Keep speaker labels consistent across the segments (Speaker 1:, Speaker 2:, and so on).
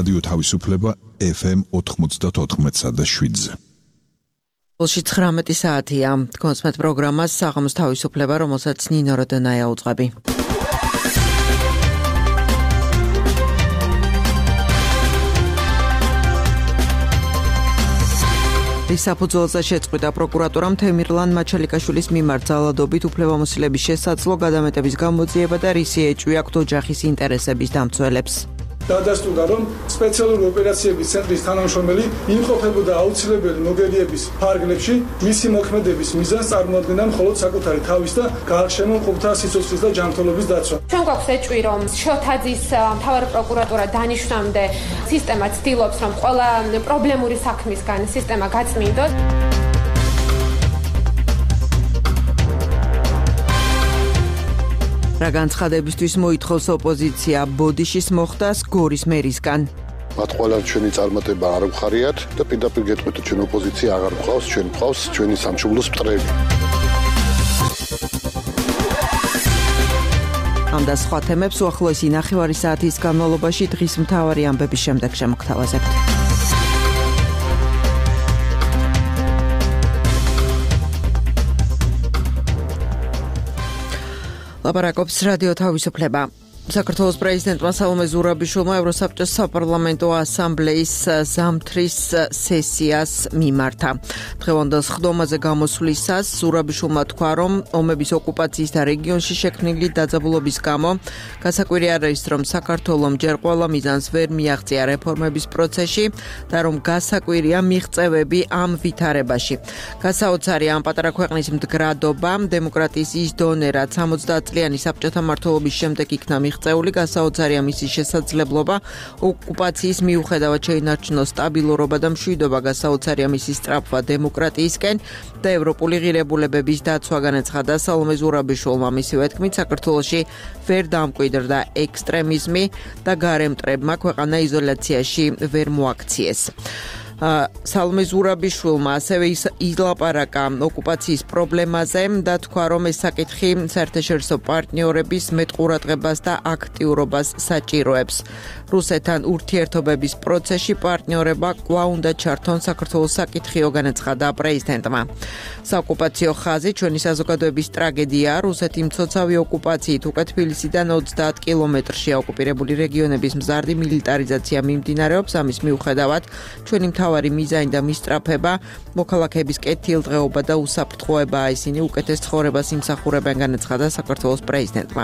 Speaker 1: რადიო თავისუფლება FM 94.7-ზე.
Speaker 2: Polში 19 საათია. Კონსმეთ პროგრამას საღამოს თავისუფლება, რომელსაც ნინო როდონაია უძღვები. საფუძველზე შეწყვიტა პროკურატურამ თემირლან მაჩალიკაშვილის მიმართ ძალადობით უფლებამოსილების შესაძლო გადამეტების გამოძიება და რისი ეჭვი აქვთ ოჯახის ინტერესების დამცველებს.
Speaker 3: Დადასტურდა, რომ სპეციალური ოპერაციების ცენტრის თანამშრომელი იმყოფებოდა აუცილებელი მოგერიების ფარგლებში, მისი მოქმედების მიზანს წარმოადგენდა მხოლოდ საკუთარი თავის და გაარჩევენ მყოფთა სიცოცხლის და ჯანმრთელობის დაცვა.
Speaker 4: ჩვენ გვაქვს ეჭვი, რომ შოთაძის მთავარი პროკურატურა დანიშნამდე სისტემა ცდილობს, რომ ყველა პრობლემური საქმისგან სისტემა გაწმინდოს.
Speaker 2: რა განცხადებისთვის მოითხოვს ოპოზიცია ბოდიშის მოხდას გორის მერისგან.
Speaker 5: მათ ყველა ჩვენი წარმატება არ გვხარიათ და პირდაპირ გეტყვით, ჩვენ ოპოზიცია აღარ გვყავს, ჩვენ გვყავს ჩვენი სამშობლოს მტრები.
Speaker 2: ამ და სხვა თემებს უახლოესი ნახევარი საათის განმავლობაში დღის მთავარი ამბების შემდეგ შემოგთავაზებთ. ლაპარაკობს რადიო თავისუფლება. საქართველოს პრეზიდენტმა სალომე ზურაბიშვილმა ევროსაბჭოს საპარლამენტო ასამბლეის ზამთრის სესიას მიმართა. დღევანდელ სხდომაზე გამოსვლისას ზურაბიშვილმა თქვა, რომ ომების ოკუპაციის და რეგიონში შექმნილი დაძაბულობის გამო გასაკვირი არ არის, რომ საქართველომ ჯერ ყველა მიზანს ვერ მიაღწია რეფორმების პროცესში და რომ გასაკვირია მიღწევები ამ ვითარებაში. გასაოცარი ამ პატარა ქვეყნის მდგრადობა, დემოკრატიის ის დონე, რაც 70 წლიანი საბჭოთა მმართველობის შემდეგ იქნა მიღწეული, გასაოცარია მისი შესაძლებლობა ოკუპაციის მიუხედავად შეინარჩუნოს სტაბილურობა და მშვიდობა, გასაოცარია მისი სწრაფვა დემოკრატიისკენ და ევროპული ღირებულებების დაცვა, განაცხადა სალომე ზურაბიშვილმა. მისივე თქმით, საქართველოში ვერ დამკვიდრდა ექსტრემიზმი და გარემტრებმა ქვეყანა იზოლაციაში ვერ მოაქციეს. სალომე ზურაბიშვილმა ასევე ილაპარაკა ოკუპაციის პრობლემაზე და თქვა, რომ ეს საკითხი საერთაშორისო პარტნიორების მეტყურადღებას და აქტიურობას საჭიროებს. რუსეთთან ურთიერთობების პროცესში პარტნიორება კვლავ უნდა ჩართონ საქართველოს საკითხიო, განაცხადა პრეზიდენტმა. საოკუპაციო ხაზი ჩვენი საზოგადოების ტრაგედია. რუსეთი მცოცავი ოკუპაციით უკვე თბილისიდან 30 კილომეტრში ოკუპირებული რეგიონების მზარდი მილიტარიზაცია მიმდინარეობს. ამის მიუხედავად ჩვენი მთავარი მიზანი და მისწრაფება მოქალაქეების კეთილდღეობა და უსაფრთხოებაა. ისინი უკეთეს ცხოვრებას იმსახურებენ, განაცხადა საქართველოს პრეზიდენტმა.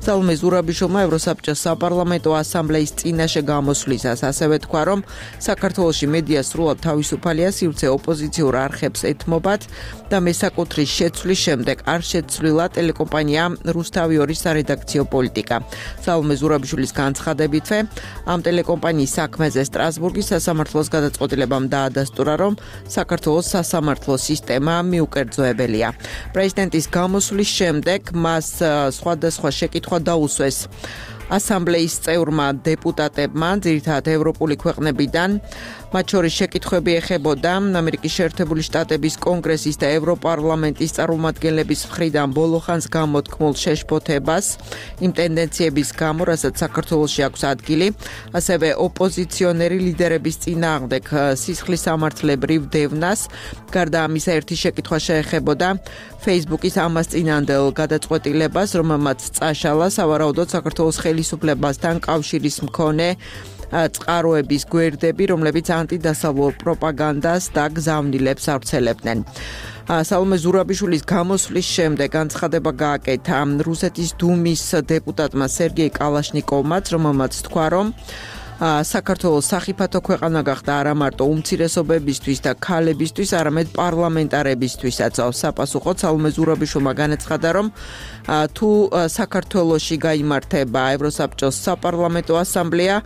Speaker 2: სალომე ზურაბიშვილმა ევროსაბჭოს საპარლამენტო ასამბლეის წინაშე გამოსვლისას ასევე თქვა, რომ საქართველოში მედია სრულად თავისუფალია, სივრცე ოპოზიციურ არხებს ეთმობათ და მესაკუთრის შეცვლის შემდეგ არ შეცვლილა ტელეკომპანია რუსთავი 2 სარედაქციო პოლიტიკა. სალომე ზურაბიშვილის განცხადებითვე ამ ტელეკომპანიის საქმეზე სტრასბურგის სასამართლოს გადაწყვეტილებამ დაადასტურა, რომ საქართველოს სასამართლო სისტემა მიუკერძოებელია. პრეზიდენტის გამოსვლის შემდეგ მას სხვადასხვა შეკითხვა დაუსვეს ასამბლეის წევრმა დეპუტატებმა, ძირითადად ევროპული ქვეყნებიდან. მათ შორის შეკითხვები ეხებოდა ამერიკის შეერთებული შტატების კონგრესის და ევროპარლამენტის წარმომადგენლების მხრიდან ბოლო ხანს გამოთქმულ შეშფოთებას იმ ტენდენციების გამო, რასაც საქართველოში აქვს ადგილი, ასევე ოპოზიციონერი ლიდერების წინააღმდეგ სისხლის სამართლებრივ დევნას. გარდა ამისა, ერთი შეკითხვა შეეხებოდა Facebook-ის ამას წინანდელ გადაწყვეტილებას, რომელმაც წაშალა სავარაუდოდ საქართველოს ხელისუფლებასთან კავშირის მქონე წყაროების გვერდები, რომლებიც ანტიდასავლურ პროპაგანდას და გზავნილებს ავრცელებდნენ. სალომე ზურაბიშვილის გამოსვლის შემდეგ განცხადება გააკეთა რუსეთის დუმის დეპუტატმა სერგეი კალაშნიკოვმაც, რომელმაც თქვა, რომ საქართველოს სახიფათო ქვეყანა გახდა არა მარტო უმცირესობებისთვის და ქალებისთვის, არამედ პარლამენტარებისთვისაც. საპასუხოდ სალომე ზურაბიშვილმა განაცხადა, რომ თუ საქართველოში გაიმართება ევროსაბჭოს საპარლამენტო ასამბლეა,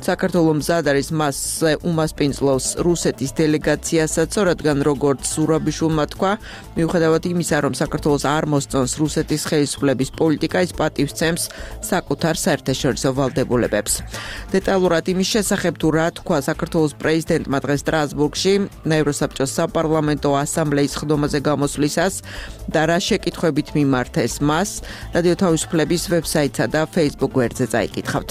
Speaker 2: საქართველოს მზად არის მასზე უმასპინძლოს რუსეთის დელეგაციასაც, რადგან როგორც ზურაბიშვილმა თქვა, მიუხედავად იმისა, რომ საქართველოს არ მოსწონს რუსეთის ხელისუფლების პოლიტიკა, ის პატივს სცემს საკუთარ საერთაშორისო ვალდებულებებს. დეტალურად იმის შესახებ, თუ რა თქვა საქართველოს პრეზიდენტმა დღეს სტრასბურგში ევროსაბჭოს საპარლამენტო ასამბლეის სხდომაზე გამოსვლისას და რა შეკითხვებით მიმართეს მას, რადიო თავისუფლების ვებსაიტსა და Facebook გვერდზე წაიკითხავთ.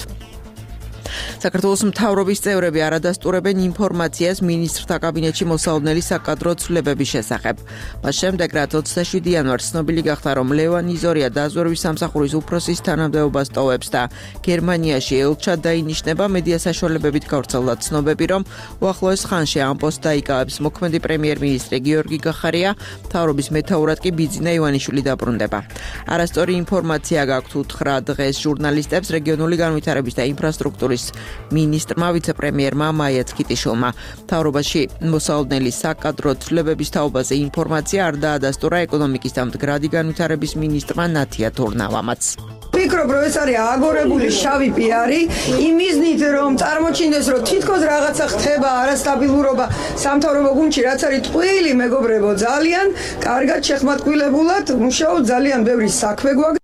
Speaker 2: საქართველოს მთავრობის წევრები არადასტურებენ ინფორმაციას მინისტრთა კაბინეტში მოსალოდნელი საკადრო ცვლილებების შესახებ. მას შემდეგ, რაც 27 იანვარს ცნობილი გახდა, რომ ლევან იზორია დაზვერვის სამსახურის უფროსის თანამდებობას ტოვებს და გერმანიაში ელჩად დაინიშნება, მედია საშუალებებით გავრცელდა ცნობები, რომ უახლოეს ხანში ამ პოსტს დაიკავებს მოქმედი პრემიერ-მინისტრი გიორგი გახარია, მთავრობის მეთაურად კი ბიძინა ივანიშვილი დაბრუნდება. არასწორი ინფორმაცია გაქვთ უთხრა დღეს ჟურნალისტებს რეგიონული განვითარების და ინფრასტრუქტურის მინისტრმა ვიცე-პრემიერმა მაია ცქიტიშვილმა. მთავრობაში მოსალოდნელი საკადრო ცვლილებების თაობაზე ინფორმაცია არ დაადასტურა ეკონომიკის და მდგრადი განვითარების მინისტრმა ნათია თურნავამაც.
Speaker 6: ვფიქრობ, რომ ეს არის აგორებული შავი პიარი, იმიზნით, რომ წარმოჩინდეს, რომ თითქოს რაღაცა ხდება, არასტაბილურობა სამთავრობო გუნდში, რაც არის ტყუილი, მეგობრებო, ძალიან კარგად შეხმატკილებულად მუშაობ, ძალიან ბევრი საქმე გვაქვს.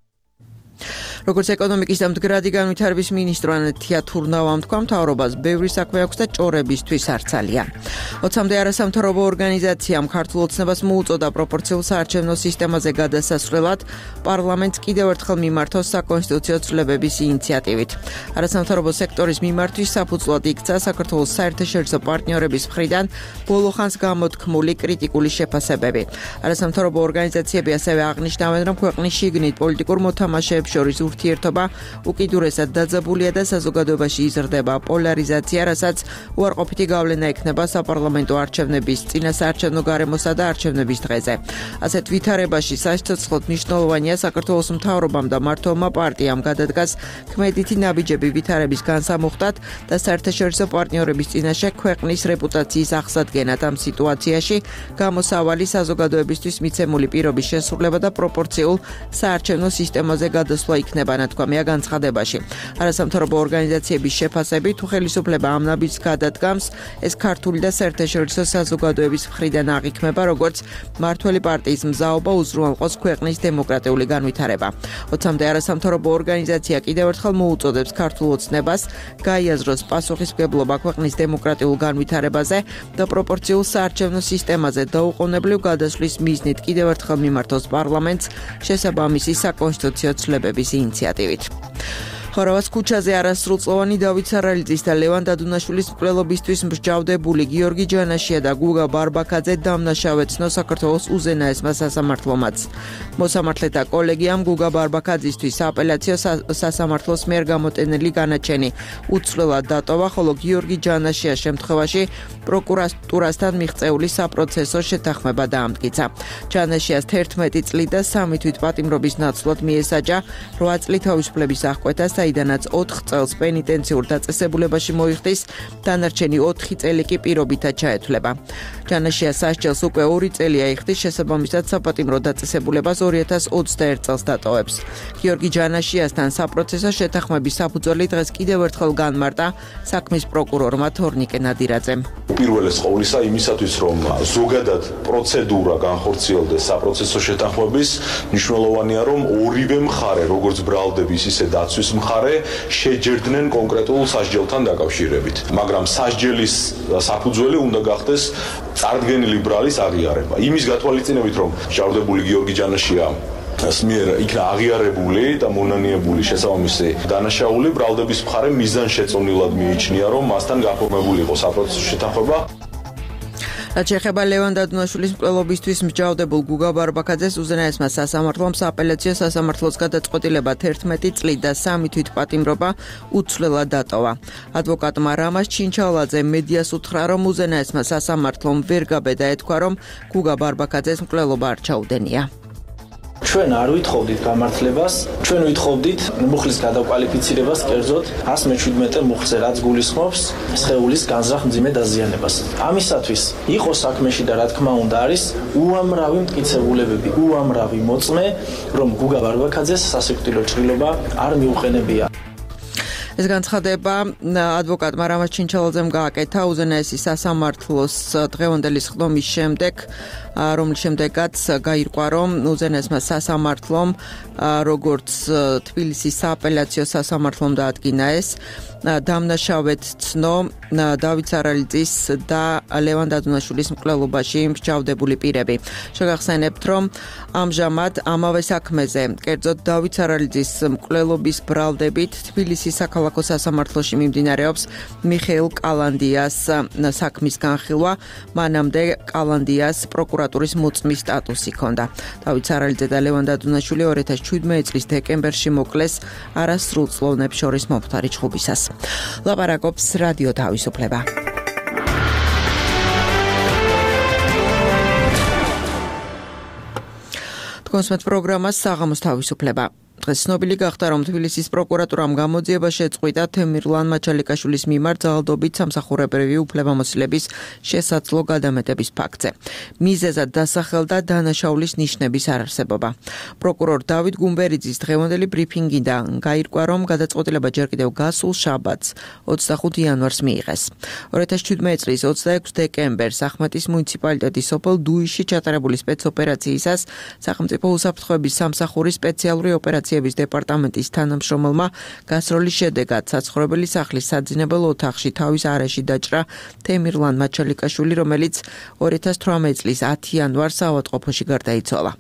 Speaker 2: როგორც ეკონომიკის და მდგრადი განვითარების მინისტრმა ნათია თურნავამ თქვა, მთავრობას ბევრი საქმე აქვს და ჭორებისთვის არ ძალიან. 20-მდე არასამთავრობო ორგანიზაციამ ქართულ ოცნებას მოუწოდა პროპორციულ საარჩევნო სისტემაზე გადასასვლელად პარლამენტს კიდევ ერთხელ მიმართოს საკონსტიტუციო ცვლილებების ინიციატივით. არასამთავრობო სექტორის მიმართვის საფუძვლად იქცა საქართველოს საერთაშორისო პარტნიორების მხრიდან ბოლო ხანს გამოთქმული კრიტიკული შეფასებები. არასამთავრობო ორგანიზაციები ასევე აღნიშნავენ, რომ ქვეყნის შიგნით პოლიტიკურ მოთამაშეებს შორის ურთიერთობა უკიდურესად დაძაბულია და საზოგადოებაში იზრდება პოლარიზაცია, რასაც უარყოფითი გავლენა ექნება საპარლამენტო არჩევნების, წინასაარჩევნო გარემოსა და არჩევნების დღეზე. ასეთ ვითარებაში სასიცოცხლოდ მნიშვნელოვანია საქართველოს მთავრობამ და მმართველმა პარტიამ გადადგას ქმედითი ნაბიჯები ვითარების განსამუხტად და საერთაშორისო პარტნიორების წინაშე ქვეყნის რეპუტაციის აღსადგენად ამ სიტუაციაში გამოსავალი საზოგადოებისთვის მიცემული პირობის შესრულება და პროპორციულ საარჩევნო სისტემაზე გადასვლა იქნება. ნათქვამია განცხადებაში. არასამთავრობო ორგანიზაციების შეფასებით ხელისუფლება ამ ნაბიჯს გადადგამს, ეს ქართული და საერთაშორისო საზოგადოების მხრიდან აღიქმება, როგორც მმართველი პარტიის მზაობა უზრუნველყოს ქვეყნის დემოკრატიული განვითარება. 20-მდე არასამთავრობო ორგანიზაცია კიდევ ერთხელ მოუწოდებს ქართულ ოცნებას გაიაზროს პასუხისმგებლობა ქვეყნის დემოკრატიულ განვითარებაზე და პროპორციულ საარჩევნო სისტემაზე დაუყოვნებლივ გადასვლის მიზნით კიდევ ერთხელ მიმართოს პარლამენტს შესაბამისი საკონსტიტუციო ცვლილებების ინიციატივით. ხორავას ქუჩაზე არასრულწლოვანი დავით სარალიძის და ლევან დადუნაშვილის მკვლელობისთვის მსჯავრდებული გიორგი ჯანაშია და გუგა ბარბაქაძე დამნაშავეცნო საქართველოს უზენაესმა სასამართლომაც. მოსამართლეთა კოლეგიამ გუგა ბარბაქაძისთვის სააპელაციო სასამართლოს მიერ გამოტენილი განაჩენი უცვლელად დატოვა, ხოლო გიორგი ჯანაშიას შემთხვევაში პროკურატურასთან მიღწეული საპროცესო შეთანხმება დაამტკიცა. ჯანაშიას 11 წლით და 3 თვით პატიმრობის ნაცვლად მიესაჯა 8 წლით თავისუფლების აღკვეთა, საიდანაც 4 წელს პენიტენციურ დაწესებულებაში მოიხდის, დანარჩენი 4 წელი კი პირობითად ჩაეთვლება. ჯანაშიას სასჯელს უკვე 2 წელი აიხდის, შესაბამისად საპატიმრო დაწესებულებას 2021 წელს დატოვებს. გიორგი ჯანაშიასთან საპროცესო შეთანხმების საფუძველი დღეს კიდევ ერთხელ განმარტა საქმის პროკურორმა თორნიკე ნადირაძემ.
Speaker 7: პირველეს ყოვლისა იმისათვის, რომ ზოგადად პროცედურა განხორციელდეს საპროცესო შეთანხმების, მნიშვნელოვანია, რომ ორივე მხარე, როგორც ბრალდების, ისე დაცვის მხარე, შეჯერდნენ კონკრეტულ სასჯელთან დაკავშირებით. მაგრამ სასჯელის საფუძველი უნდა გახდეს წარდგენილი ბრალის აღიარება. იმის გათვალისწინებით, რომ მსჯავრდებული გიორგი ჯანაშია მიერ იქნა აღიარებული და მონანიებული შესაბამისი დანაშაული, ბრალდების მხარე მიზანშეწონილად მიიჩნია, რომ მასთან გაფორმებული იყო საპროცესო შეთანხმება.
Speaker 2: რაც შეეხება ლევან დადუნაშვილის მკვლელობისთვის მსჯავრდებულ გუგა ბარბაქაძეს, უზენაესმა სასამართლომ სააპელაციო სასამართლოს გადაწყვეტილება 11 წლით და 3 თვით პატიმრობა უცვლელად დატოვა. ადვოკატმა რამაზ ჩინჩალაძე მედიას უთხრა, რომ უზენაესმა სასამართლომ ვერ გაბედა ეთქვა, რომ გუგა ბარბაქაძეს მკვლელობა არ ჩაუდენია.
Speaker 8: ჩვენ არ ვითხოვდით გამართლებას, ჩვენ ვითხოვდით მუხლის გადაკვალიფიცირებას, კერძოდ 117 მუხლზე, რაც გულისხმობს სხეულის განზრახ მძიმე დაზიანებას. ამისათვის იყო საქმეში და რა თქმა უნდა არის უამრავი მტკიცებულებები, უამრავი მოწმე, რომ გუგა ბარბაქაძეს სასიკვდილო ჭრილობა არ მიუყენებია.
Speaker 2: ეს განცხადება ადვოკატმა რამაზ ჩინჩალაძემ გააკეთა უზენაესი სასამართლოს დღევანდელი სხდომის შემდეგ, რომლის შემდეგაც გაირკვა, რომ უზენაესმა სასამართლომ, როგორც თბილისის სააპელაციო სასამართლომ დაადგინა ეს, დამნაშავედ ცნო დავით სარალიძის და ლევან დადუნაშვილის მკვლელობაში მსჯავრდებული პირები. შეგახსენებთ, რომ ამჟამად ამავე საქმეზე, კერძოდ დავით სარალიძის მკვლელობის ბრალდებით თბილისის საქალაქო სასამართლოში მიმდინარეობს მიხეილ კალანდიას საქმის განხილვა. მანამდე კალანდიას პროკურატურის მოწმის სტატუსი ჰქონდა. დავით სარალიძე და ლევან დადუნაშვილი 2017 წლის დეკემბერში მოკლეს არასრულწლოვნებს შორის მომხდარი ჩხუბისას. ლაპარაკობს რადიო თავისუფლება. თქვენს პროგრამას საღამოს თავისუფლება. დღეს ცნობილი გახდა, რომ თბილისის პროკურატურამ გამოძიება შეწყვიტა თემირლან მაჩალიკაშვილის მიმართ ძალადობით სამსახურებრივი უფლებამოსილების შესაძლო გადამეტების ფაქტზე. მიზეზად დასახელდა დანაშაულის ნიშნების არარსებობა. პროკურორ დავით გუმბერიძის დღევანდელი ბრიფინგიდან გაირკვა, რომ გადაწყვეტილება ჯერ კიდევ გასულ შაბათს 25 იანვარს მიიღეს. 2017 წლის 26 დეკემბერს ახმეტის მუნიციპალიტეტის სოფელ დუიში ჩატარებული სპეცოპერაციისას სახელმწიფო უსაფრთხოების სამსახურის სპეციალური ოპერაციების დეპარტამენტის თანამშრომელმა გასროლის შედეგად საცხოვრებელი სახლის საძინებელ ოთახში თავის არეში დაჭრა თემირლან მაჩალიკაშვილი, რომელიც 2018 წლის 10 იანვარს ავადმყოფოში გარდაიცვალა.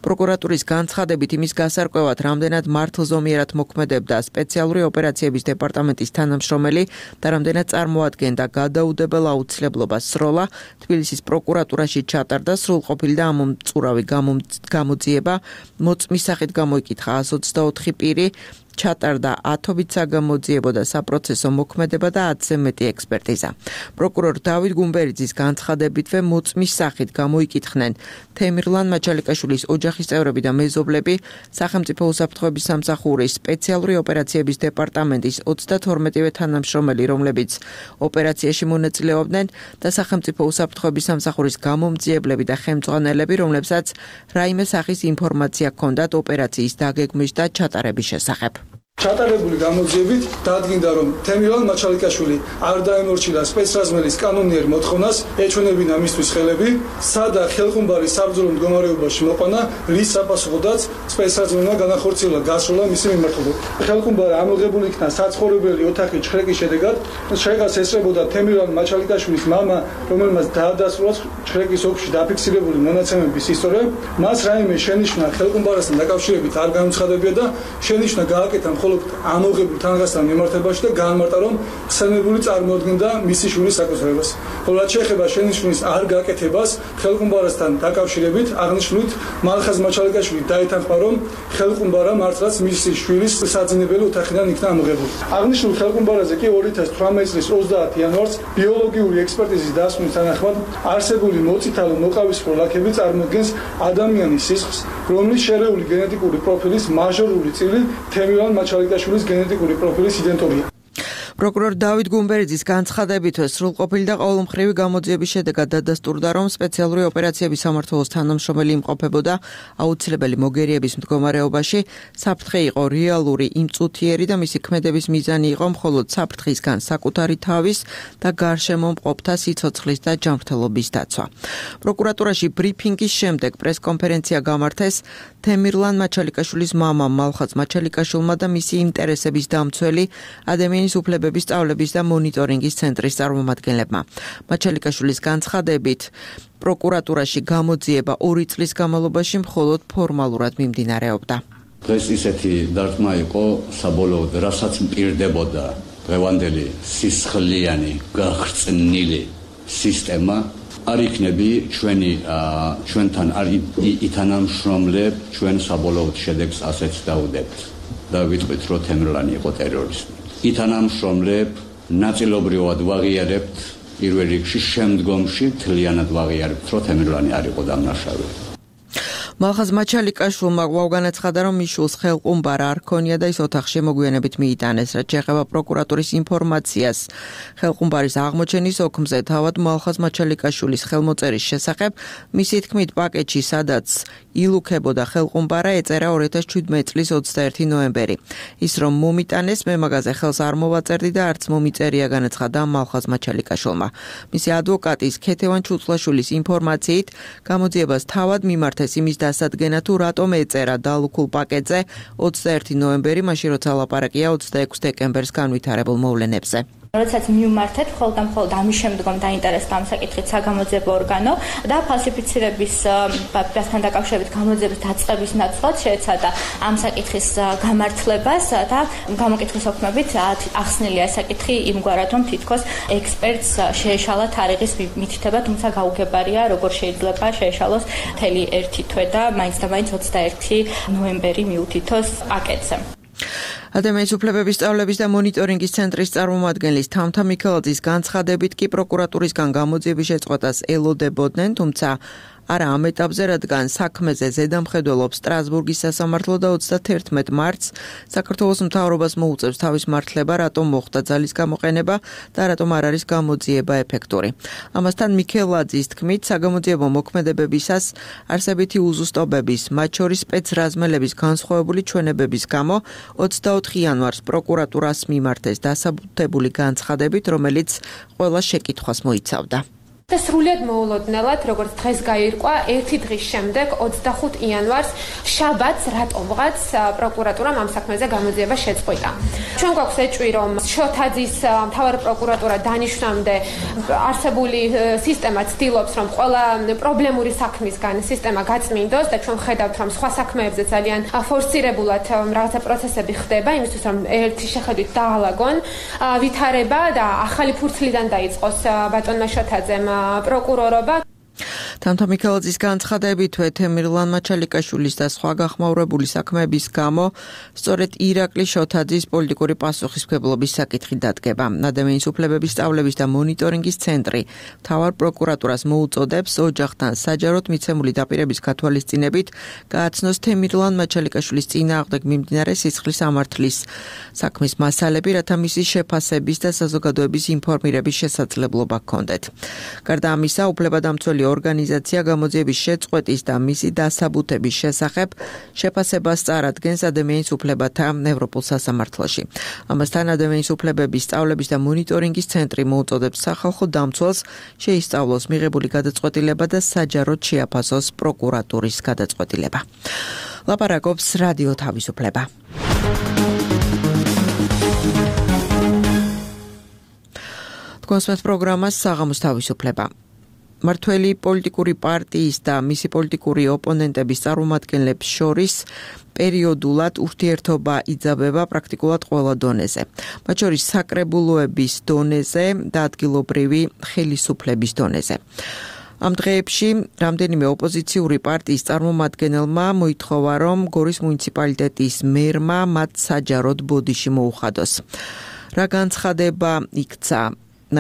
Speaker 2: პროკურატურის განცხადებით იმის გასარკვევად, რამდენად მართლზომიერად მოქმედებდა სპეციალური ოპერაციების დეპარტამენტის თანამშრომელი და რამდენად წარმოადგენდა გადაუდებელ აუცილებლობას სროლა, თბილისის პროკურატურაში ჩატარდა სრულყოფილი და ამომწურავი გამოძიება. მოწმის სახით გამოიკითხა 124 პირი, ჩატარდა 10-ობით საგამოძიებო და საპროცესო მოქმედება და 10-ზე მეტი ექსპერტიზა. პროკურორ დავით გუმბერიძის განცხადებითვე მოწმის სახით გამოიკითხნენ თემირლან მაჩალიკაშვილის ოჯახის წევრები და მეზობლები, სახელმწიფო უსაფრთხოების სამსახურის სპეციალური ოპერაციების დეპარტამენტის 32-ვე თანამშრომელი, რომლებიც ოპერაციაში მონაწილეობდნენ და სახელმწიფო უსაფრთხოების სამსახურის გამომძიებლები და ხელმძღვანელები, რომლებსაც რაიმე სახის ინფორმაცია ჰქონდათ ოპერაციის დაგეგმვის და ჩატარების შესახებ.
Speaker 3: ჩატარებული გამოძიებით დადგინდა, რომ თემირლან მაჩალიკაშვილი არ დაემორჩილა სპეცრაზმელის კანონიერ მოთხოვნას ეჩვენებინა მისთვის ხელები, სადა ხელხუმბარის საბრძოლო მდგომარეობაში მოყვანა, რის საპასუხოდაც სპეცრაზმელმა განახორციელა გასროლა მისი მიმართულებით. ხელხუმბარა ამოღებული იქნა საცხოვრებელი ოთახის ჩხრეკის შედეგად, შედეგს ესწრებოდა თემირლან მაჩალიკაშვილის მამა, რომელმაც დაადასტურა ჩხრეკის ოფში დაფიქსირებული მონაცემების ისტორია. მას რაიმე შენიშვნა ხელხუმბარასთან დაკავშირებით არ გამოცხადებია და შენიშვნა გააკეთა მხოლოდ ამოღებულ თანხასთან მიმართებაში და განმარტა, რომ ხსენებული წარმოადგენდა მისი შვილის საკუთრებას. ხოლო რაც შეეხება შენიშვნის არ გაკეთებას ხელყუმბარასთან დაკავშირებით, აღნიშნულით მალხაზ მაჩალიკაშვილი დაითანხმა, რომ ხელყუმბარა მართლაც მისი შვილის საძინებელი ოთახიდან იქნა ამოღებული. აღნიშნულ ხელყუმბარაზე კი 2018 წლის 30 იანვარს ბიოლოგიური ექსპერტიზის დასკვნის თანახმად არსებული მოწითალო მოყავისფრო ლაქები წარმოადგენს ადამიანის სისხლს, რომლის შერეული გენეტიკური პროფილის მაჟორული წილი თემირლან მაჩალიკაშვილის გენეტიკური პროფილის იდენტურია.
Speaker 2: პროკურორ დავით გუმბერიძის განცხადებითვე სრულყოფილი და ყოველმხრივი გამოძიების შედეგად დადასტურდა, რომ სპეციალური ოპერაციების სამმართველოს თანამშრომელი იმყოფებოდა აუცილებელი მოგერიების მდგომარეობაში, საფრთხე იყო რეალური, იმწუთიერი და მისი ქმედების მიზანი იყო მხოლოდ საფრთხისგან საკუთარი თავის და გარშემო მყოფთა სიცოცხლის და ჯანმრთელობის დაცვა. პროკურატურაში ბრიფინგის შემდეგ პრესკონფერენცია გამართეს თემირლან მაჩალიკაშვილის მამამ მალხაზ მაჩალიკაშვილმა და მისი ინტერესების დამცველი ადამიანის უფლებების სწავლების და მონიტორინგის ცენტრის წარმომადგენლებმა. მაჩალიკაშვილის განცხადებით, პროკურატურაში გამოძიება 2 წლის განმავლობაში მხოლოდ ფორმალურად მიმდინარეობდა.
Speaker 9: დღეს ისეთი დარტყმა იყო საბოლოოდ, რასაც მპირდებოდა დღევანდელი სისხლიანი გახრწნილი სისტემა, არ იქნები ჩვენთან არ ითანამშრომლებ, ჩვენ საბოლოოდ შედეგს ასეც დავუდებთ და ვიტყვით, რომ თემირლანი იყო ტერორისტი. ითანამშრომლებ, ნაწილობრივად ვაღიარებთ, პირველ რიგში შემდგომში მთლიანად ვაღიარებთ, რომ თემირლანი არ იყო დამნაშავე.
Speaker 2: მალხაზ მაჩალიკაშვილმა განაცხადა, რომ მის შვილს ხელყუმბარა არ ჰქონია და ის ოთახში მოგვიანებით მიიტანეს. რაც შეეხება პროკურატურის ინფორმაციას ხელყუმბარის აღმოჩენის ოქმზე, თავად მალხაზ მაჩალიკაშვილის ხელმოწერის შესახებ, მისი თქმით, პაკეტში, სადაც ილუქებოდა ხელყუმბარა, ეწერა 2017 წლის 21 ნოემბერი. ის რომ მომიტანეს, მე მაგაზე ხელს არ მოვაწერდი და არც მომიწერია, განაცხადა მალხაზ მაჩალიკაშვილმა. მისი ადვოკატის ქეთევან ჩუწლაშვილის ინფორმაციით, გამოძიებას თავად მიმართეს იმის დასადგენა თუ რატომ ეწერა დალუქულ პაკეტზე 21 ნოემბერი, მაშინ როცა ლაპარაკია 26 დეკემბერს განვითარებულ მოვლენებზე.
Speaker 10: როდესაც მივმართეთ, მხოლოდ და მხოლოდ ამის შემდგომ დაინტერესდა ამ საკითხით საგამოძიებო ორგანო და ფალსიფიცირების ბასთან დაკავშირებით გამოძიების დაწყების ნაცვლად შეეცადა ამ საკითხის გამართლებას და გამოკითხვის ოქმებით ახსნილია ეს საკითხი იმგვარად, რომ თითქოს ექსპერტს შეეშალა თარიღის მითითება, თუმცა გაუგებარია, როგორ შეიძლება შეეშალოს მთელი ერთი თვე და მაინც და მაინც 21 ნოემბერი მიუთითოს პაკეტზე.
Speaker 2: ადამიანის უფლებების სწავლების და მონიტორინგის ცენტრის წარმომადგენლის თამთა მიქელაძის განცხადებით კი პროკურატურისგან გამოძიების შეწყვეტას ელოდებოდნენ, თუმცა არა ამ ეტაპზე, რადგან საქმეზე ზედამხედველობს სტრასბურგის სასამართლო და 31 მარტს საქართველოს მთავრობას მოუწევს თავის მართლება, რატომ მოხდა ძალის გამოყენება და რატომ არ არის გამოძიება ეფექტური. ამასთან მიქელაძის თქმით, საგამოძიებო მოქმედებებისას არსებითი უზუსტობების, მათ შორის სპეცრაზმელების განსხვავებული ჩვენებების გამო 24 იანვარს პროკურატურას მიმართეს დასაბუთებული განცხადებით, რომელიც ყველა შეკითხვას მოიცავდა.
Speaker 4: და სრულად მოულოდნელად, როგორც დღეს გაირკვა, ერთი დღის შემდეგ 25 იანვარს შაბათს რატომღაც პროკურატურამ ამ საქმეზე გამოძიება შეწყვიტა. ჩვენ გვაქვს ეჭვი, რომ შოთაძის მთავარი პროკურატურა დანიშნამდე არსებული სისტემა ცდილობს, რომ ყველა პრობლემური საქმისგან სისტემა გაწმინდოს და ჩვენ ხედავთ, რომ სხვა საქმეებზე ძალიან ფორსირებულად რაღაცა პროცესები ხდება, იმისთვის რომ ერთი შეხედვით დაალაგონ ვითარება და ახალი ფურცლიდან დაიწყოს ბატონმა შოთაძემ პროკურორობა.
Speaker 2: თამთა მიქელაძის განცხადებით, თემირლან მაჩალიკაშვილის და სხვა გახმაურებული საქმეების გამო სწორედ ირაკლი შოთაძის პოლიტიკური პასუხისმგებლობის საკითხი დადგება. ადამიანის უფლებების სწავლების და მონიტორინგის ცენტრი მთავარ პროკურატურას მოუწოდებს ოჯახთან საჯაროდ მიცემული დაპირების გათვალისწინებით გააცნოს თემირლან მაჩალიკაშვილის წინააღმდეგ მიმდინარე სისხლის ამართლის საქმის მასალები, რათა მისი შეფასების და საზოგადოების ინფორმირების შესაძლებლობა ჰქონდეთ. გარდა ამისა, უფლებადამცველი ორგანიზაცია გამოძიების შეწყვეტის და მისი დასაბუთების შესახებ შეფასებას წარადგენს ადამიანის უფლებათა ევროპულ სასამართლოში. ამასთან ადამიანის უფლებების სწავლების და მონიტორინგის ცენტრი მოუწოდებს სახალხო დამცველს შეისწავლოს მიღებული გადაწყვეტილება და საჯაროდ შეაფასოს პროკურატურის გადაწყვეტილება. ლაპარაკობს რადიო თავისუფლება. თქვენს პროგრამას საღამოს თავისუფლება. მართველი პოლიტიკური პარტიის და მისი პოლიტიკური ოპონენტების წარმომადგენლებს შორის პერიოდულად ურთიერთობა იძაბება პრაქტიკულად ყველა დონეზე. მათ შორის საკრებულოების დონეზე და ადგილობრივი ხელისუფლების დონეზე. ამ დღეებში რამდენიმე ოპოზიციური პარტიის წარმომადგენელმა მოითხოვა, რომ გორის მუნიციპალიტეტის მერმა მათ საჯაროდ ბოდიში მოუხადოს. რა განცხადება იქცა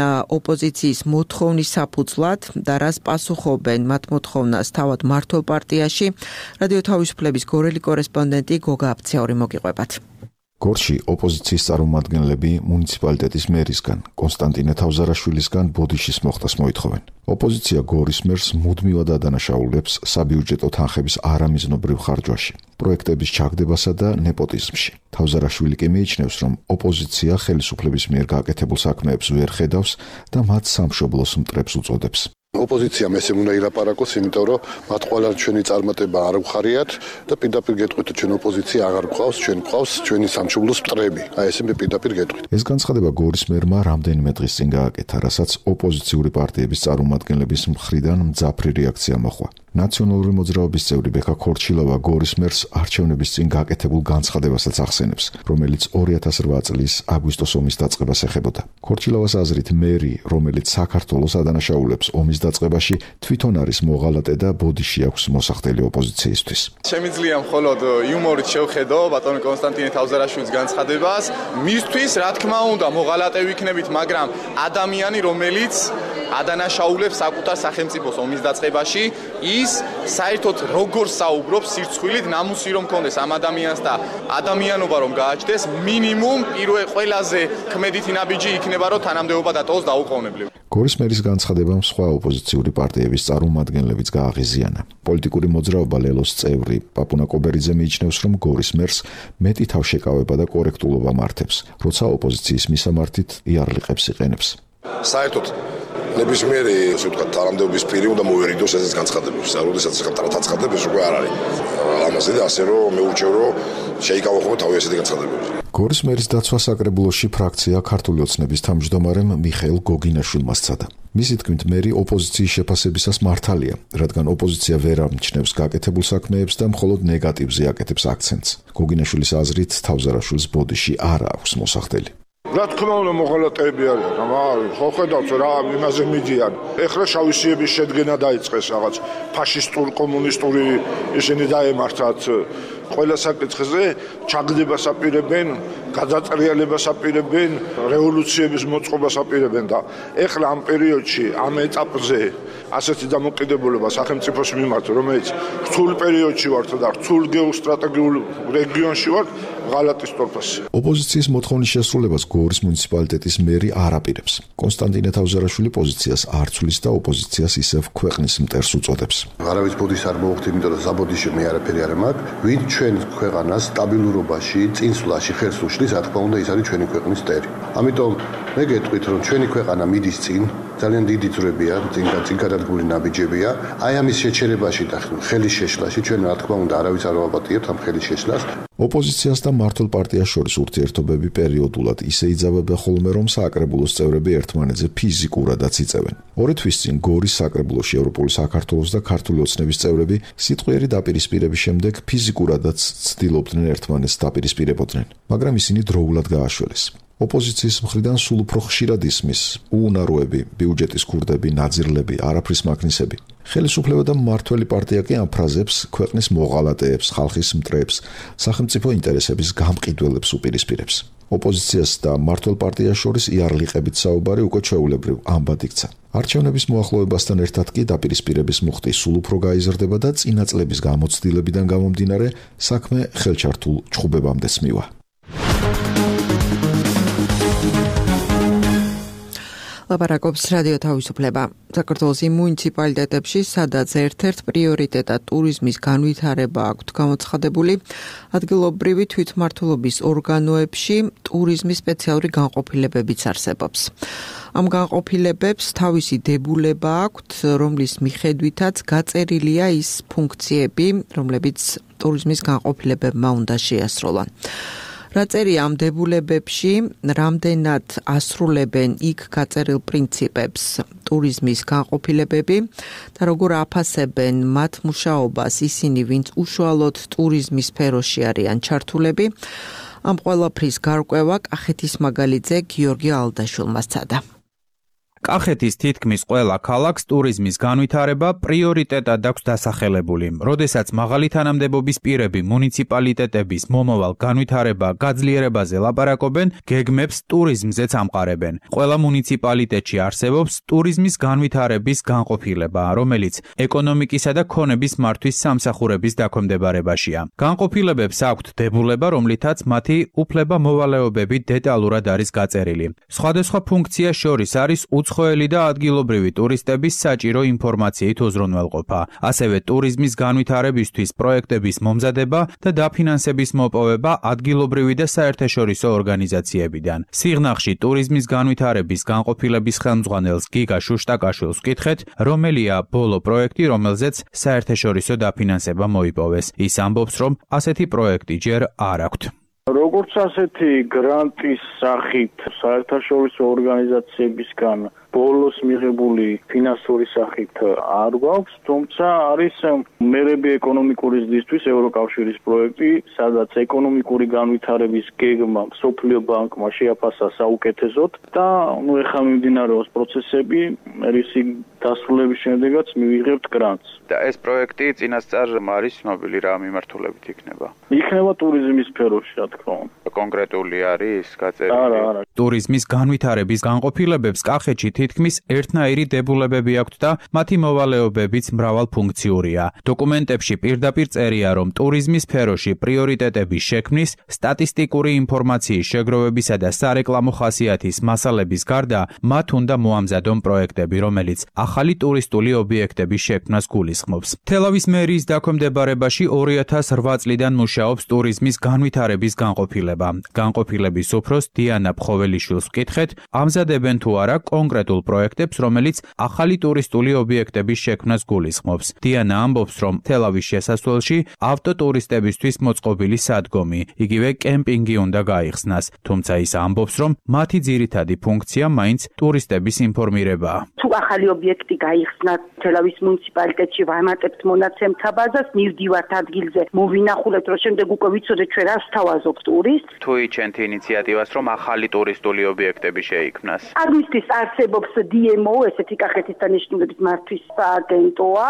Speaker 2: ოპოზიციის მოთხოვნის საფუძვლად და რას პასუხობენ მათ მოთხოვნას თავად მართლ პარტიაში, რადიო თავისუფლების გორელი კორესპონდენტი გოგა აფციური მოგიყვებათ.
Speaker 1: გორში ოპოზიციის წარმომადგენლები მუნიციპალიტეტის მერისგან, კონსტანტინე თავზარაშვილისგან ბოდიშის მოხდას მოითხოვენ. ოპოზიცია გორის მერს მუდმივად ადანაშაულებს საბიუჯეტო თანხების არამიზნობრივ ხარჯვაში, პროექტების ჩაგდებასა და ნეპოტიზმში. თავზარაშვილი კი მიიჩნევს, რომ ოპოზიცია ხელისუფლების მიერ გაკეთებულ საქმეებს ვერ ხედავს და მათ სამშობლოს მტრებს უწოდებს.
Speaker 5: ოპოზიციამ ესე უნდა ილაპარაკოს, იმიტომ რომ მათ ყველა ჩვენი წარმატება არ უხარიათ და პირდაპირ გეტყვით, ჩვენ ოპოზიცია აღარ გვყავს, ჩვენ გვყავს ჩვენი სამშობლოს მტრები. აი ესე მე პირდაპირ გეტყვით.
Speaker 1: ეს განცხადება გორის მერმა რამდენიმე დღის წინ გააკეთა, რასაც ოპოზიციური პარტიების წარმომადგენლების მხრიდან მძაფრი რეაქცია მოჰყვა. ნაციონალური მოძრაობის წევრი ბექა ქორჩილოვა გორის მერს არჩევნების წინ გაკეთებულ განცხადებასაც ახსენებს, რომელიც 2008 წლის აგვისტოს ომის დაწყებას ეხებოდა. ქორჩილოვას აზრით, მერი, რომელიც საქართველოს ადანაშაულებს ომის დაწყებაში, თვითონ არის მოღალატე და ბოდიში აქვს მოსახდელი ოპოზიციისთვის.
Speaker 11: შემიძლია მხოლოდ იუმორით შევხედო ბატონ კონსტანტინე თავზარაშვილის განცხადებას. მისთვის, რა თქმა უნდა, მოღალატე ვიქნებით, მაგრამ ადამიანი, რომელიც ადანაშაულებს საკუთარ სახელმწიფოს ომის დაწყებაში, ის საერთოდ როგორ საუბრობს სირცხვილით, ნამუსი რომ კონდეს ამ ადამიანს და ადამიანობა რომ გააჩნდეს, მინიმუმ ყველაზე ქმედითი ნაბიჯი იქნება, რომ თანამდებობა დატოვოს დაუყოვნებლივ.
Speaker 1: გორის მერის განცხადებამ სხვა ოპოზიციური პარტიების წარმომადგენლებიც გააღიზიანა. პოლიტიკური მოძრაობა ლელოს წევრი პაპუნა კობერიძე მიიჩნევს, რომ გორის მერს მეტი თავშეკავება და კორექტულობა მართებს, როცა ოპოზიციის მისამართით იარლიყებს იყენებს.
Speaker 11: საერთოდ
Speaker 5: ნებისმიერი ასე ვთქვათ თანამდებობის პირი უნდა მოვერიდოს ესეც განცხადებებს. როდესაც განცხადებს უკვე არ არის ამაზე და ასე რომ მეურჩევ რომ შეიკავახო თავი ესეთი განცხადებები.
Speaker 1: გორის მერის დაცვა საკრებულოში ფრაქცია ქართული ოცნების თავმჯდომარემ მიხეილ გოგინაშვილმა სცადა. მისი თქმით, მერი ოპოზიციის შეფასებისას მართალია, რადგან ოპოზიცია ვერ ამჩნევს გაკეთებულ საქმეებს და მხოლოდ ნეგატივზე აკეთებს აქცენტს. გოგინაშვილის აზრით, თავზარაშვილის ბოდიში არ აქვს მოსახდელი.
Speaker 12: რა თქმა უნდა მოღალატეები არიან, ხო ხედავთ რა იმაზე მიდიან. ეხლა შავისიების შედგენა დაიწყეს რაღაც ფაშისტურ კომუნისტური ისინი დაემართათ ყველა საკითხზე ჩაგდებას აპირებენ, გადატრიალებას აპირებენ, რევოლუციების მოწყობას აპირებენ და ეხლა ამ პერიოდში, ამ ეტაპზე ასეთი დამოკიდებულება სახელმწიფოს მიმართ, რომელიც რთულ პერიოდში ვართ და რთულ გეოსტრატეგიულ რეგიონში ვართ, ღალატის თორფასი.
Speaker 1: ოპოზიციის მოთხოვნის შესრულებას გორის მუნიციპალიტეტის მერი არ აპირებს. კონსტანტინე თავზარაშვილი პოზიციას არ ცვლის და ოპოზიციას ისევ ქვეყნის მტერს უწოდებს.
Speaker 5: არავის ბოდიშს არ მოვხდი, იმიტომ რომ საბოდიში მე არაფერი არ მაქვს. ვინ ჩვენ ქვეყანას სტაბილურობაში, წინსვლაში ხელს უშლის, რა თქმა უნდა, ის არის ჩვენი ქვეყნის მტერი. ამიტომ მე გეტყვით, რომ ჩვენი ქვეყანა მიდის წინ, ძალიან დიდი ძვრებია, წინ გადადგმული ნაბიჯებია. აი ამის შეჩერებაში და ხელის შეშლაში ჩვენ რა თქმა უნდა არავის არ ვაპატიებთ ამ ხელის შეშლას.
Speaker 1: ოპოზიციას და მართლ პარტიას შორის ურთიერთობები პერიოდულად ისე იძაბება ხოლმე, რომ საკრებულოს წევრები ერთმანეთზე ფიზიკურადაც იწევენ. 2 თვის წინ გორის საკრებულოში ევროპული საქართველოს და ქართული ოცნების წევრები სიტყვიერი დაპირისპირების შემდეგ ფიზიკურადაც ცდილობდნენ ერთმანეთს დაპირისპირებოდნენ, მაგრამ ისინი დროულად გააშველეს. ოპოზიციის მხრიდან სულ უფრო ხშირად ისმის უუნაროები, ბიუჯეტის ქურდები, ნაძირლები, არაფრის მაქნისები. ხელისუფლება და მმართველი პარტია კი ამ ფრაზებს ქვეყნის მოღალატეებს, ხალხის მტრებს, სახელმწიფო ინტერესების გამყიდველებს უპირისპირებს. ოპოზიციას და მმართველ პარტიას შორის იარლიყებით საუბარი უკვე ჩვეულებრივ ამბად იქცა. არჩევნების მოახლოებასთან ერთად კი დაპირისპირების მუხტი სულ უფრო გაიზრდება და წინა წლების გამოცდილებიდან გამომდინარე საქმე ხელჩართულ ჩხუბებამდეც მივა.
Speaker 2: ლაპარაკობს რადიო თავისუფლება. საქართველოს მუნიციპალიტეტებში, სადაც ერთ-ერთ პრიორიტეტად ტურიზმის განვითარება აქვთ გამოცხადებული, ადგილობრივი თვითმმართველობის ორგანოებში ტურიზმის სპეციალური განყოფილებებიც არსებობს. ამ განყოფილებებს თავისი დებულება აქვთ, რომლის მიხედვითაც გაწერილია ის ფუნქციები, რომლებიც ტურიზმის განყოფილებებმა უნდა შეასრულონ. რა წერია ამ დებულებებში, რამდენად ასრულებენ იქ გაწერილ პრინციპებს ტურიზმის განყოფილებები და როგორ აფასებენ მათ მუშაობას ისინი, ვინც უშუალოდ ტურიზმის სფეროში არიან ჩართულები. ამ ყველაფრის გარკვევა კახეთის მაგალითზე გიორგი ალდაშვილმა სცადა.
Speaker 13: კახეთის თითქმის ყველა ქალაქს ტურიზმის განვითარება პრიორიტეტად აქვს დასახელებული. როდესაც მაღალი თანამდებობის პირები მუნიციპალიტეტების მომავალ განვითარება გაძლიერებაზე ლაპარაკობენ, გეგმებს ტურიზმზეც ამყარებენ. ყველა მუნიციპალიტეტში არსებობს ტურიზმის განვითარების განყოფილება, რომელიც ეკონომიკისა და ქონების მართვის სამსახურების დაქვემდებარებაშია. განყოფილებებს აქვთ დებულება, რომლითაც მათი უფლება-მოვალეობები დეტალურად არის გაწერილი. სხვადასხვა ფუნქციას შორის არის უცხოელი და ადგილობრივი ტურისტების საჭირო ინფორმაციით უზრუნველყოფა, ასევე ტურიზმის განვითარებისთვის პროექტების მომზადება და დაფინანსების მოპოვება ადგილობრივი და საერთაშორისო ორგანიზაციებიდან. სიღნაღში ტურიზმის განვითარების განყოფილების ხელმძღვანელს გიგა შუშტაკაშვილს ვკითხეთ, რომელია ბოლო პროექტი, რომელზეც საერთაშორისო დაფინანსება მოიპოვეს. ის ამბობს, რომ ასეთი პროექტი ჯერ არ აქვთ.
Speaker 14: როგორც ასეთი გრანტის სახით საერთაშორისო ორგანიზაციებისგან ბოლოს მიღებული ფინანსური სახით არ გვაქვს, თუმცა არის მერები ეკონომიკური ზრდისთვის ევროკავშირის პროექტი, სადაც ეკონომიკური განვითარების გეგმა მსოფლიო ბანკმა შეაფასა საუკეთესოდ და ეხლა მიმდინარეობს პროცესები, რისი დასრულების შემდეგაც მივიღებთ გრანტს.
Speaker 15: და ეს პროექტი წინასწარ არის ცნობილი რა მიმართულებით იქნება?
Speaker 14: იქნება ტურიზმის სფეროში, რა თქმა უნდა.
Speaker 15: კონკრეტული არის გაწერილი?
Speaker 14: არა.
Speaker 13: ტურიზმის განვითარების განყოფილებებს კახეთში თითქმის ერთნაირი დებულებები აქვთ და მათი მოვალეობებიც მრავალფუნქციურია. დოკუმენტებში პირდაპირ წერია, რომ ტურიზმის სფეროში პრიორიტეტების შექმნის, სტატისტიკური ინფორმაციის შეგროვებისა და სარეკლამო ხასიათის მასალების გარდა, მათ უნდა მოამზადონ პროექტები, რომელიც ახალი ტურისტული ობიექტების შექმნას გულისხმობს. თელავის მერიის დაქვემდებარებაში 2008 წლიდან მუშაობს ტურიზმის განვითარების განყოფილება. განყოფილების უფროს დიანა ფხოველი მამულიშვილს ვკითხეთ, ამზადებენ თუ არა კონკრეტულ პროექტებს, რომელიც ახალი ტურისტული ობიექტების შექმნას გულისხმობს. დიანა ამბობს, რომ თელავის შესასვლელში ავტოტურისტებისთვის მოწყობილი სადგომი, იგივე კემპინგი უნდა გაიხსნას, თუმცა ის ამბობს, რომ მათი ძირითადი ფუნქცია მაინც ტურისტების ინფორმირებაა.
Speaker 16: თუ ახალი ობიექტი გაიხსნათ თელავის მუნიციპალიტეტში, ვამატებთ მონაცემთა ბაზას, მივდივართ ადგილზე, მოვინახულებთ, რომ შემდეგ უკვე ვიცოდეთ ჩვენ რას თავაზობთ ტურისტს.
Speaker 15: თუ იჩენთ ინიციატივას, რომ ახალი ტურისტული ობიექტები შეიქმნას.
Speaker 16: ამისთვის არსებობს DMO, ესეთი კახეთის დანიშნულების მართვის სააგენტოა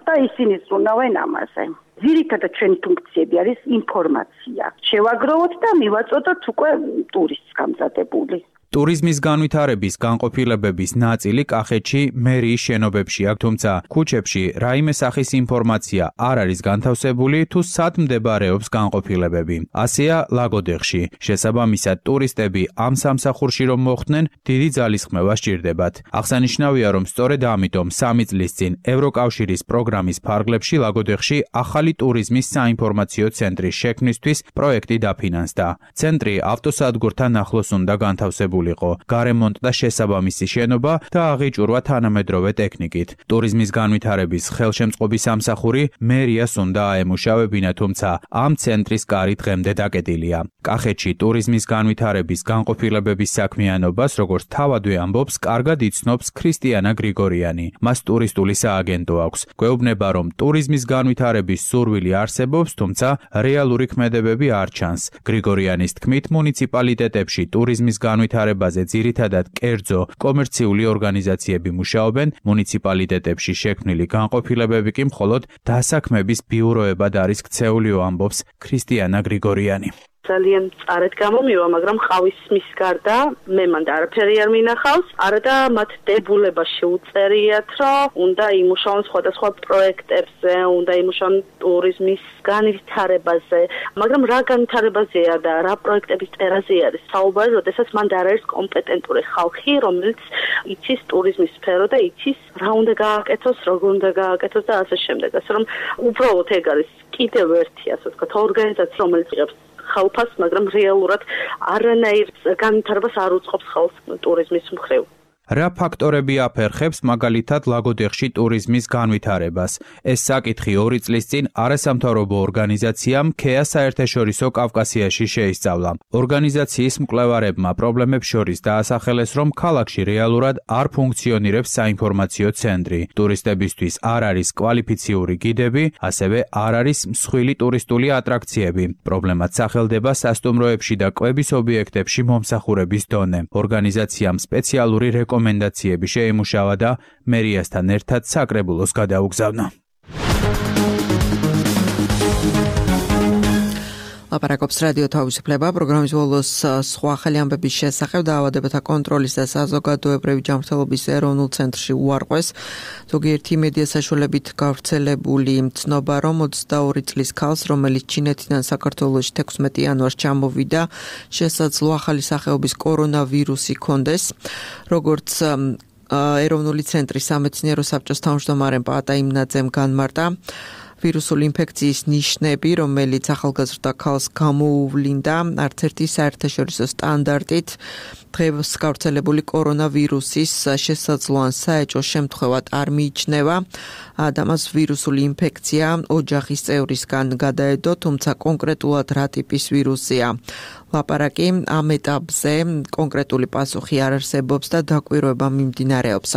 Speaker 16: და ისინი ზრუნავენ ამაზე. ძირითადად ჩვენი ფუნქციები არის ინფორმაცია. შევაგროვოთ და მივაწოდოთ უკვე ტურისტს გამზადებული.
Speaker 13: ტურიზმის განვითარების განყოფილებების ნაწილი კახეთში მერიის შენობებში აქვს, თუმცა ქუჩებში რაიმე სახის ინფორმაცია არ არის განთავსებული თუ სად მდებარეობს განყოფილებები. ასეა ლაგოდეხში. შესაბამისად, ტურისტები ამ სამსახურში რომ მოხვდნენ, დიდი ძალისხმევა სჭირდებათ. აღსანიშნავია, რომ სწორედ ამიტომ 3 წლის წინ ევროკავშირის პროგრამის ფარგლებში ლაგოდეხში ახალი ტურიზმის საინფორმაციო ცენტრის შექმნისთვის პროექტი დაფინანსდა. ცენტრი ავტოსადგურთან ახლოს უნდა განთავსებული გარემონტ და შესაბამისი შენობა და აღიჭურვა თანამედროვე ტექნიკით. ტურიზმის განვითარების ხელშემწყობი სამსახური მერიას უნდა აემუშავებინა, თუმცა ამ ცენტრის კარი დღემდე დაკეტილია. კახეთში ტურიზმის განვითარების განყოფილებების საქმიანობას, როგორც თავადვე ამბობს, კარგად იცნობს ქრისტიანა გრიგორიანი. მას ტურისტული სააგენტო აქვს. გვეუბნება, რომ ტურიზმის განვითარების სურვილი არსებობს, თუმცა რეალური ქმედებები არ ჩანს. გრიგორიანის თქმით, მუნიციპალიტეტებში ტურიზმის განვითარებაზე ძირითადად კერძო კომერციული ორგანიზაციები მუშაობენ, მუნიციპალიტეტებში შექმნილი განყოფილებები კი მხოლოდ დასაქმების ბიუროებად არის ქცეულიო, ამბობს ქრისტიანა გრიგორიანი.
Speaker 17: ძალიან წარეთ გამომივა, მაგრამ ყავის მის გარდა მე მანდ არაფერი არ მინახავს. არა და მათ დებულება შეუწერიათ, რომ უნდა იმუშაონ სხვადასხვა პროექტებზე, უნდა იმუშაონ ტურიზმის განვითარებაზე, მაგრამ რა განვითარებაზეა და რა პროექტების წერაზე არის საუბარი, როდესაც მანდ არ არის კომპეტენტური ხალხი, რომელიც იცის ტურიზმის სფერო და იცის რა უნდა გააკეთოს, როგორ უნდა გააკეთოს და ასე შემდეგ. ასე რომ უბრალოდ ეგ არის კიდევ ერთი, ასე ვთქვათ, ორგანიზაცია, რომელიც იღებს ხალხს, მაგრამ რეალურად არანაირ განვითარებას არ უწყობს ხალხს ტურიზმის მხრივ.
Speaker 13: რა ფაქტორები აფერხებს მაგალითად ლაგოდეხში ტურიზმის განვითარებას? ეს საკითხი 2 წლის წინ არასამთავრობო ორგანიზაციამ ქეა საერთაშორისო კავკასიაში შეისწავლა. ორგანიზაციის მკვლევარებმა პრობლემებს შორის დაასახელეს, რომ ქალაქში რეალურად არ ფუნქციონირებს საინფორმაციო ცენტრი. ტურისტებისთვის არ არის კვალიფიციური გიდები, ასევე არ არის მსხვილი ტურისტული ატრაქციები. პრობლემაც სახელდება სასტუმროებში და კვების ობიექტებში მომსახურების დონე. ორგანიზაციამ სპეციალური რეკომენდაციები შეიმუშავა და მერიასთან ერთად საკრებულოს გადაუგზავნა.
Speaker 2: ლაპარაკობს რადიო თავისუფლება, პროგრამის ბოლოს სხვა ახალი ამბების შესახებ დაავადებათა კონტროლის და საზოგადოებრივი ჯანმრთელობის ეროვნულ ცენტრში უარყვეს. ზოგიერთი მედია საშუალებით გავრცელებული ცნობა, რომ 22 წლის ქალს, რომელიც ჩინეთიდან საქართველოში 16 იანვარს ჩამოვიდა, შესაძლოა ახალი სახეობის კორონავირუსი ჰქონდეს. როგორც ეროვნული ცენტრის სამეცნიერო საბჭოს თავმჯდომარემ პაატა იმნაძემ განმარტა, ვირუსული ინფექციის ნიშნები, რომელიც ახალგაზრდა ქალს გამოუვლინდა, არც ერთი საერთაშორისო სტანდარტით დღეს გავრცელებული კორონავირუსის შესაძლოა საეჭვო შემთხვევად არ მიიჩნევა და მას ვირუსული ინფექცია ოჯახის წევრისგან გადაედო, თუმცა კონკრეტულად რა ტიპის ვირუსია ლაპარაკი, ამ ეტაპზე კონკრეტული პასუხი არ არსებობს და დაკვირვება მიმდინარეობს.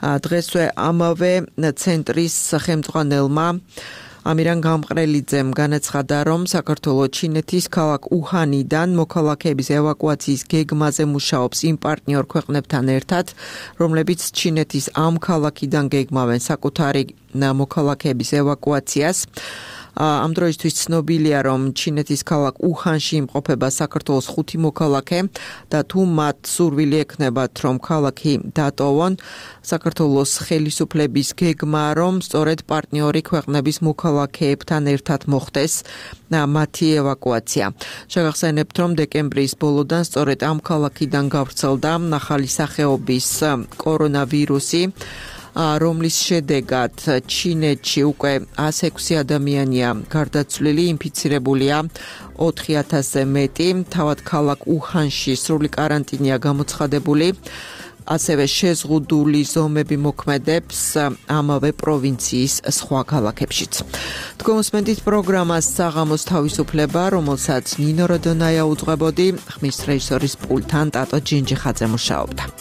Speaker 2: დღესვე ამავე ცენტრის ხელმძღვანელმა ამირან გამყრელიძემ განაცხადა, რომ საქართველოს ჩინეთის ქალაქ უჰანიდან მოქალაქეების ევაკუაციის გეგმაზე მუშაობს იმ პარტნიორ ქვეყნებთან ერთად, რომლებიც ჩინეთის ამ ქალაქიდან გეგმავენ საკუთარი მოქალაქეების ევაკუაციას. ამ დროისთვის ცნობილია, რომ ჩინეთის ქალაქ უჰანში იმყოფება საქართველოს 5 მოქალაქე და თუ მათ სურვილი ექნებათ, რომ ქალაქი დატოვონ, საქართველოს ხელისუფლების გეგმა, რომ სწორედ პარტნიორი ქვეყნების მოქალაქეებთან ერთად მოხდეს მათი ევაკუაცია. შეგახსენებთ, რომ დეკემბრის ბოლოდან სწორედ ამ ქალაქიდან გავრცელდა ახალი სახეობის კორონავირუსი. რომლის შედეგად ჩინეთში უკვე 106 ადამიანია გარდაცვლილი, ინფიცირებულია 4000-ზე მეტი, თავად ქალაქ უჰანში სრული კარანტინია გამოცხადებული. ასევე შეზღუდული ზომები მოქმედებს ამავე პროვინციის სხვა ქალაქებშიც. თქვენსმენთ პროგრამას საღამოს თავისუფლება, რომელსაც ნინო როდონაია უძღვებოდი, ხმის რეჟისორის პულტთან ტატო ჯინჯიხაძე მუშაობდა.